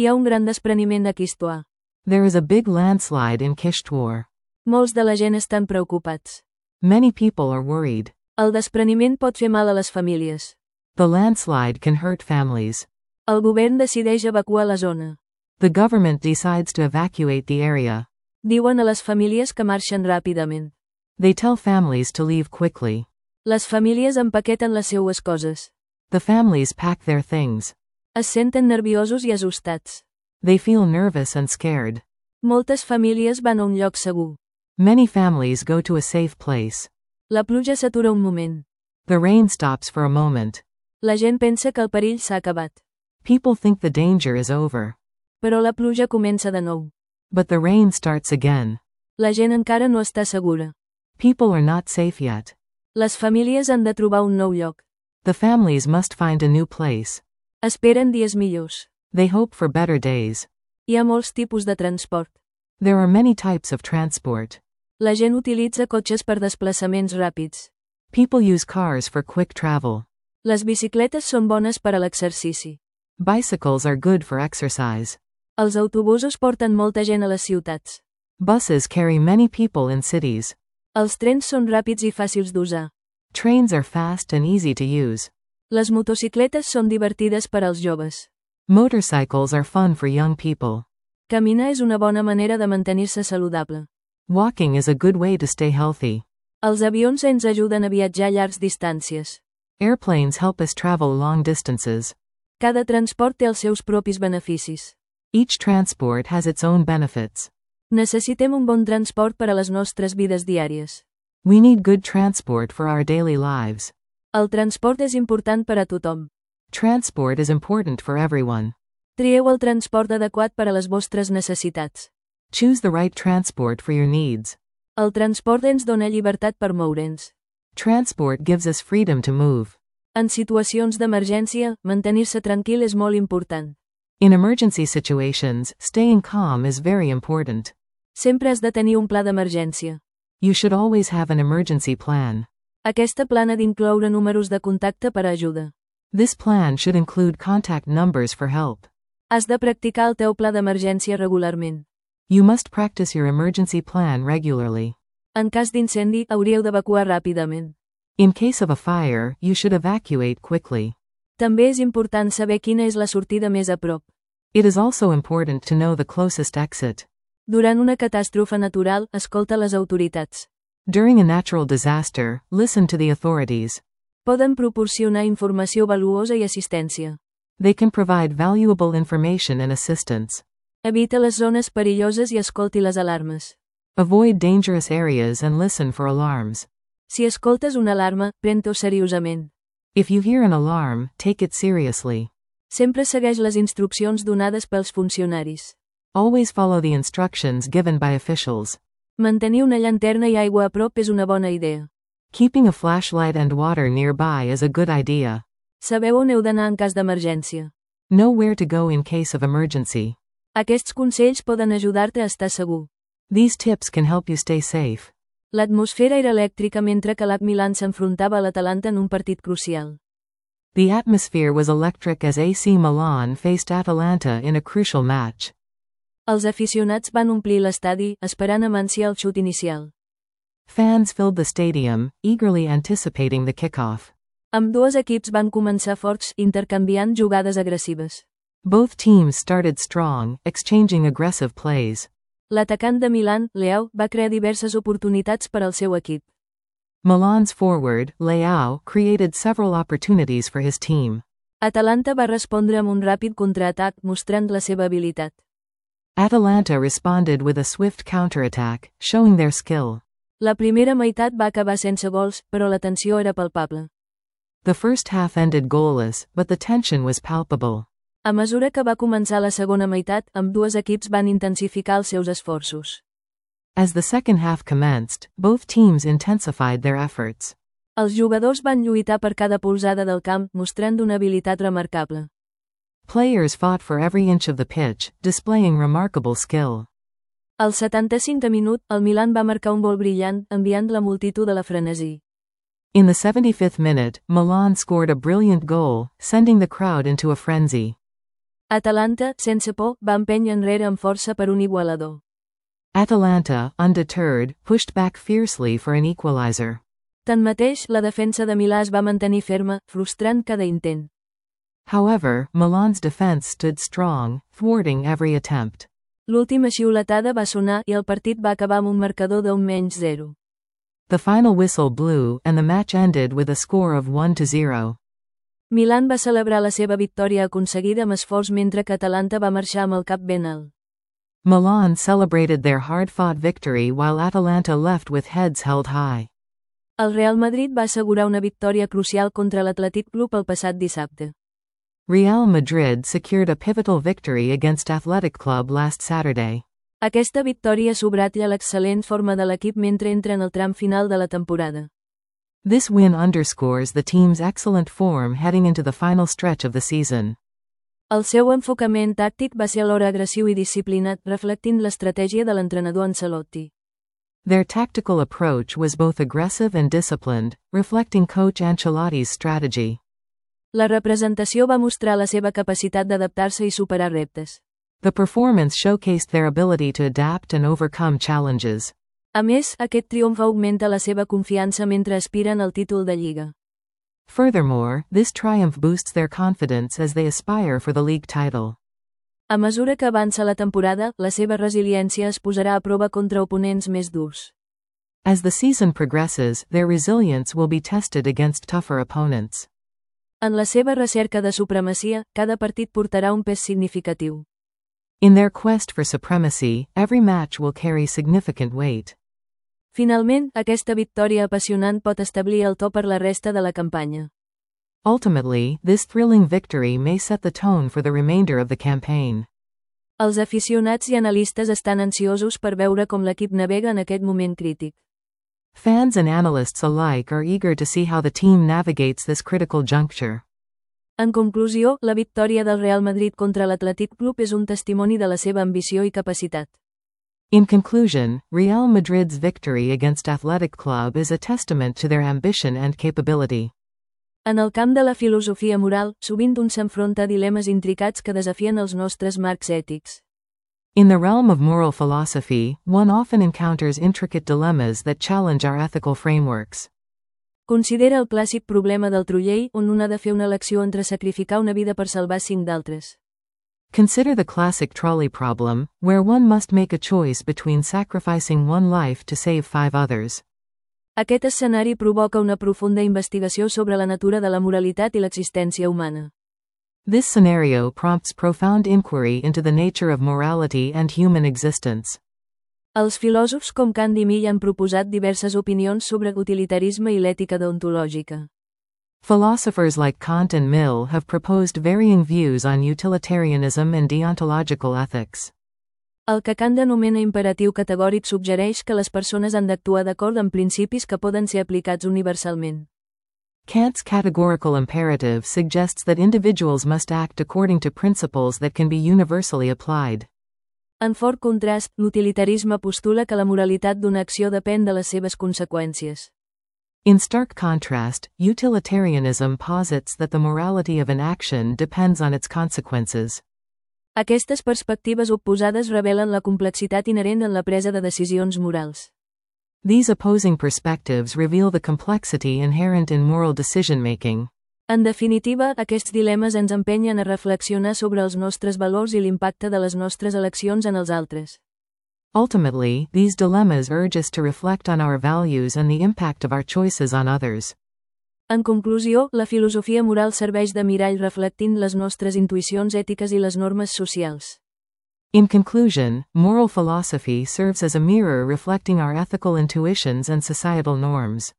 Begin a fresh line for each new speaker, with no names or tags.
Hi ha un gran despreniment a Kishtwar.
There is a big landslide in Kishtwar.
Molts de la gent estan preocupats.
Many people are worried.
El despreniment pot fer mal a les famílies.
The landslide can hurt families.
El govern decideix evacuar la zona.
The government decides to evacuate the area.
Diuen a les famílies que marxen ràpidament.
They tell families to leave quickly.
Les famílies empaqueten les seues coses.
The families pack their things.
Es senten nerviosos i assustats.
They feel nervous and scared.
Moltes famílies van a un lloc segur.
Many families go to a safe place.
La pluja s'atura un moment.
The rain stops for a moment.
La gent pensa que el perill s'ha acabat.
People think the danger is over.
Però la pluja comença de nou.
But the rain starts again.
La gent encara no està segura.
People are not safe yet.
Les famílies han de trobar un nou lloc.
The families must find a new place.
Esperen dies millors.
They hope for better days.
Hi ha molts tipus de transport.
There are many types of transport.
La gent utilitza cotxes per desplaçaments ràpids.
People use cars for quick travel.
Les bicicletes són bones per a l'exercici.
Bicycles are good for exercise.
Els autobusos porten molta gent a les ciutats.
Buses carry many people in cities.
Els trens són ràpids i fàcils d'usar.
Trains are fast and easy to use.
Les motocicletes són divertides per als joves.
Motorcycles are fun for young people.
Caminar és una bona manera de mantenir-se saludable.
Walking is a good way to stay healthy.
Els avions ens ajuden a viatjar a llargs distàncies.
Airplanes help us travel long distances.
Cada transport té els seus propis beneficis.
Each transport has its own benefits.
Necessitem un bon transport per a les nostres vides diàries.
We need good transport for our daily lives.
El transport és important per a tothom.
Transport is important for everyone.
Trieu el transport adequat per a les vostres necessitats.
Choose the right transport for your needs.
El transport ens dona llibertat per moure'ns.
Transport gives us freedom to move.
En situacions d'emergència, mantenir-se tranquil és molt important.
In emergency situations, staying calm is very important.
Sempre has de tenir un pla d'emergència.
You should always have an emergency plan.
Aquesta plan ha d'incloure números de contacte per a ajuda.
This plan should include contact numbers for help.
Has de practicar el teu pla d'emergència regularment.
You must practice your emergency plan regularly.
En cas d'incendi, hauríeu d'evacuar ràpidament.
In case of a fire, you should evacuate quickly.
També és important saber quina és la sortida més a prop.
It is also important to know the closest exit.
Durant una catàstrofe natural, escolta les autoritats.
During a natural disaster, listen to the authorities.
Poden proporcionar informació valuosa i assistència.
They can provide valuable information and assistance.
Evita les zones perilloses i escolti les alarmes.
Avoid dangerous areas and listen for alarms.
Si escoltes una alarma, pren-t'ho seriosament.
If you hear an alarm, take it seriously.
Sempre segueix les instruccions donades pels funcionaris.
Always follow the instructions given by officials.
Mantenir una llanterna i aigua a prop és una bona idea.
Keeping a flashlight and water nearby is a good idea.
Sabeu on heu d'anar en cas d'emergència.
Know where to go in case of emergency.
Aquests consells poden ajudar-te a estar segur.
These tips can help you stay safe.
L'atmosfera era elèctrica mentre que l'AC Milan s'enfrontava a l'Atalanta en un partit crucial.
The atmosphere was electric as AC Milan faced Atalanta in a crucial match.
Els aficionats van omplir l'estadi, esperant amb ànsia el xut inicial.
Fans filled the stadium, eagerly anticipating the kickoff.
Ambdós equips van començar forts, intercanviant jugades agressives.
Both teams started strong, exchanging aggressive plays.
L'atacant de Milan, Leao, va crear diverses oportunitats per al seu equip.
Milan's forward, Leao, created several opportunities for his team.
Atalanta va respondre amb un ràpid contraatac, mostrant la seva habilitat.
Atalanta responded with a swift counterattack, showing their skill.
La primera meitat va acabar sense gols, però la tensió era palpable.
The first half ended goalless, but the tension was palpable.
A mesura que va començar la segona meitat, ambdós equips van intensificar els seus esforços.
As the second half commenced, both teams intensified their efforts.
Els jugadors van lluitar per cada polzada del camp, mostrant una habilitat remarcable.
Players fought for every inch of the pitch, displaying remarkable skill.
Al 75 minut, el Milan va marcar un gol brillant, enviant la multitud a la frenesí.
In the 75th minute, Milan scored a brilliant goal, sending the crowd into a frenzy.
Atalanta, sense por, va empènyer enrere amb força per un igualador.
Atalanta, undeterred, pushed back fiercely for an equalizer.
Tanmateix, la defensa de Milà es va mantenir ferma, frustrant cada intent.
However, Milan's defense stood strong, thwarting every attempt.
L'última xiuletada va sonar i el partit va acabar amb un marcador d'1-0.
The final whistle blew, and the match ended with a score of 1-0.
Milan va celebrar la seva victòria aconseguida amb esforç mentre que Atalanta va marxar amb el cap ben alt.
Milan celebrated their hard-fought victory while Atalanta left with heads held high.
El Real Madrid va assegurar una victòria crucial contra l'Atlètic Club el passat dissabte.
Real Madrid secured a pivotal victory against Athletic Club last Saturday.
Aquesta victòria subratlla l'excel·lent forma de l'equip mentre entra en el tram final de la temporada.
This win underscores the team's excellent form heading into the final stretch of the season.
El seu enfocament tàctic va ser alhora agressiu i disciplinat, reflectint l'estratègia de l'entrenador Ancelotti.
Their tactical approach was both aggressive and disciplined, reflecting Coach Ancelotti's strategy.
La representació va mostrar la seva capacitat d'adaptar-se i superar reptes.
The performance showcased their ability to adapt and overcome challenges.
A més, aquest triomf augmenta la seva confiança mentre aspiren al títol de Lliga.
Furthermore, this triumph boosts their confidence as they aspire for the league title.
A mesura que avança la temporada, la seva resiliència es posarà a prova contra oponents més durs.
As the season progresses, their resilience will be tested against tougher opponents.
En la seva recerca de supremacia, cada partit portarà un pes significatiu.
In their quest for supremacy, every match will carry significant weight.
Finalment, aquesta victòria apassionant pot establir el to per la resta de la campanya.
Ultimately, this thrilling victory may set the tone for the remainder of the campaign.
Els aficionats i analistes estan ansiosos per veure com l'equip navega en aquest moment crític.
Fans and analysts alike are eager to see how the team navigates this critical juncture.
En conclusió, la victòria del Real Madrid contra l'Atlètic Club és un testimoni de la seva ambició i capacitat.
In conclusion, Real Madrid's victory against Athletic Club is a testament to their ambition and capability.
En el camp de la filosofia moral, sovint un s'enfronta a dilemes intricats que desafien els nostres marcs ètics.
In the realm of moral philosophy, one often encounters intricate dilemmas that challenge our ethical frameworks.
Considera el clàssic problema del trolley on un ha de fer una elecció entre sacrificar una vida per salvar 5 d'altres.
Consider the classic trolley problem, where one must make a choice between sacrificing one life to save 5 others.
Aquest escenari provoca una profunda investigació sobre la natura de la moralitat i l'existència humana.
This scenario prompts profound inquiry into the nature of morality and human existence.
Els filòsofs com Kant i Mill han proposat diverses opinions sobre utilitarisme i l'ètica deontològica.
Philosophers like Kant and Mill have proposed varying views on utilitarianism and deontological ethics.
El que Kant anomena imperatiu categòric suggereix que les persones han d'actuar d'acord amb principis que poden ser aplicats universalment.
Kant's categorical imperative suggests that individuals must act according to principles that can be universally applied.
En fort contrast, l'utilitarisme postula que la moralitat d'una acció depèn de les seves conseqüències.
In stark contrast, utilitarianism posits that the morality of an action depends on its consequences.
Aquestes perspectives oposades revelen la complexitat inherent en la presa de decisions morals.
These opposing perspectives reveal the complexity inherent in moral decision-making.
En definitiva, aquests dilemes ens empenyen a reflexionar sobre els nostres valors i l'impacte de les nostres eleccions en els altres.
Ultimately, these dilemmas urge us to reflect on our values and the impact of our choices on others.
En conclusió, la filosofia moral serveix de mirall reflectint les nostres intuïcions ètiques i les normes socials.
In conclusion, moral philosophy serves as a mirror reflecting our ethical intuitions and societal norms.